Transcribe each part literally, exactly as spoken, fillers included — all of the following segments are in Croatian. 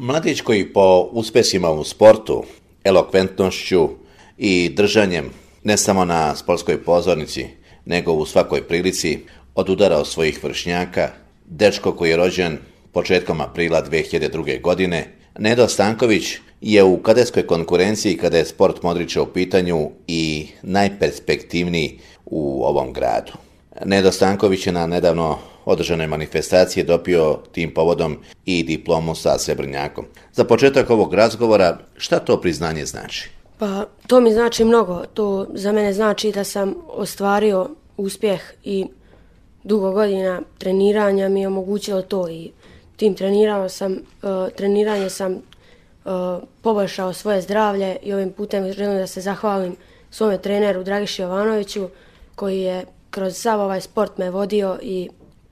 Mladić koji po uspjesima u sportu, elokventnošću i držanjem ne samo na sportskoj pozornici, nego u svakoj prilici odudara od svojih vršnjaka, dečko koji je rođen početkom aprila dvije hiljade druge. godine, Nedo Stanković je u kadetskoj konkurenciji kada je sport Modrića u pitanju i najperspektivniji u ovom gradu. Nedo Stanković je na nedavno održanoj manifestaciji dobio tim povodom i diplomu sa srebrnjakom. Za početak ovog razgovora, šta to priznanje znači? Pa to mi znači mnogo. To za mene znači da sam ostvario uspjeh i dugo godina treniranja mi je omogućilo to i tim trenirao sam, uh, treniranje sam uh, poboljšao svoje zdravlje i ovim putem želim da se zahvalim svome treneru Dragiši Jovanoviću koji je kroz sav ovaj sport me vodio i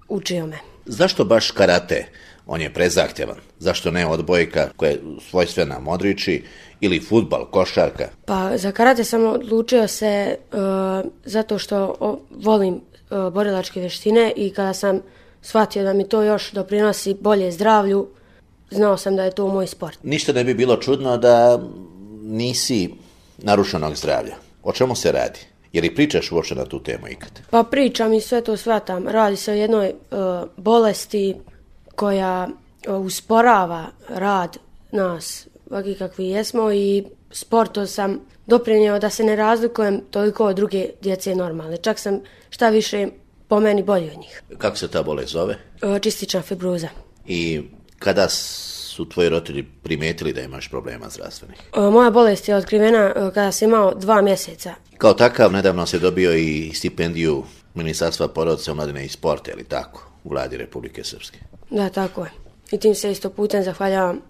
učio me. Zašto baš karate? On je prezahtjevan. Zašto ne odbojka koja je svojstvena Modrići ili fudbal, košarka? Pa za karate sam odlučio se uh, zato što o, volim uh, borilačke vještine i kada sam shvatio da mi to još doprinosi bolje zdravlju, znao sam da je to moj sport. Ništa ne bi bilo čudno da nisi narušenog zdravlja. O čemu se radi? Je li pričaš uopće na tu temu ikad? Pa pričam i sve to shvatam. Radi se o jednoj uh, bolesti koja uh, usporava rad nas, ovakvi kakvi jesmo, i sportom sam doprinio da se ne razlikujem toliko od druge djece normalne. Čak sam šta više po meni bolji od njih. Kako se ta bolest zove? Uh, čistična fibroza. I kada su tvoji roditelji primijetili da imaš problema zdravstvenih? Uh, moja bolest je otkrivena uh, kada sam imao dva mjeseca. Kao takav, nedavno se dobio i stipendiju Ministarstva porodice, omladine i sporta, ili tako, u vladi Republike Srpske. Da, tako je. I tim se isto putem zahvaljavam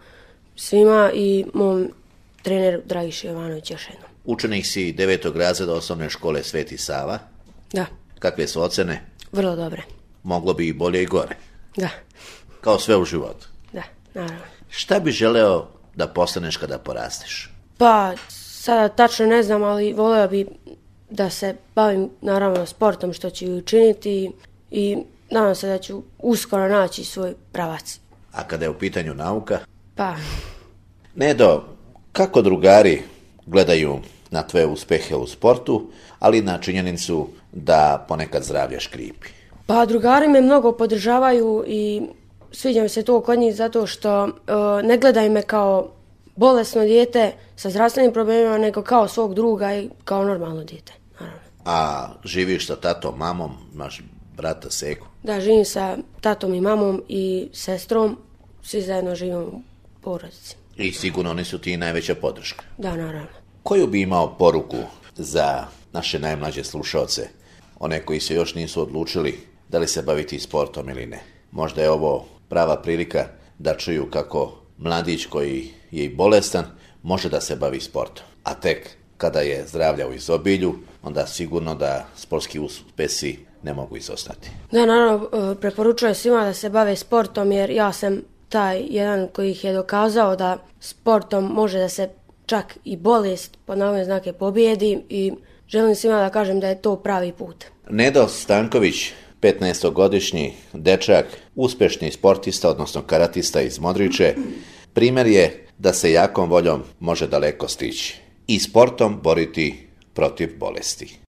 svima i mom treneru Dragiši Jovanoviću još jednom. Učenik si devetog razreda osnovne škole Sveti Sava. Da. Kakve su ocene? Vrlo dobre. Moglo bi i bolje i gore. Da. Kao sve u životu. Da, naravno. Šta bi želeo da postaneš kada porasteš? Pa, sada tačno ne znam, ali voleo bi da se bavim naravno sportom, što ću i učiniti, i nadam se da ću uskoro naći svoj pravac. A kada je u pitanju nauka? Pa... Nedo, kako drugari gledaju na tvoje uspjehe u sportu, ali na činjenicu da ponekad zdravlje škripi? Pa drugari me mnogo podržavaju i sviđa mi se to kod njih zato što uh, ne gledaju me kao bolesno dijete sa zdravstvenim problemima, nego kao svog druga i kao normalno dijete, naravno. A živiš sa tatom, mamom, imaš brata, seku? Da, živim sa tatom i mamom i sestrom, svi zajedno živimo u porodici. I sigurno oni su ti najveća podrška. Da, naravno. Koju bi imao poruku za naše najmlađe slušaoce, one koji se još nisu odlučili da li se baviti sportom ili ne? Možda je ovo prava prilika da čuju kako mladić koji je i bolestan može da se bavi sportom. A tek kada je zdravlja u izobilju, onda sigurno da sportski uspjesi ne mogu izostati. Da, naravno, preporučujem svima da se bave sportom, jer ja sam taj jedan koji ih je dokazao da sportom može da se čak i bolest pod navodne znake pobijedi, i želim svima da kažem da je to pravi put. Nedo Stanković, petnaestogodišnji dečak, uspješni sportista, odnosno karatista iz Modriće, primjer je da se jakom voljom može daleko stići i sportom boriti protiv bolesti.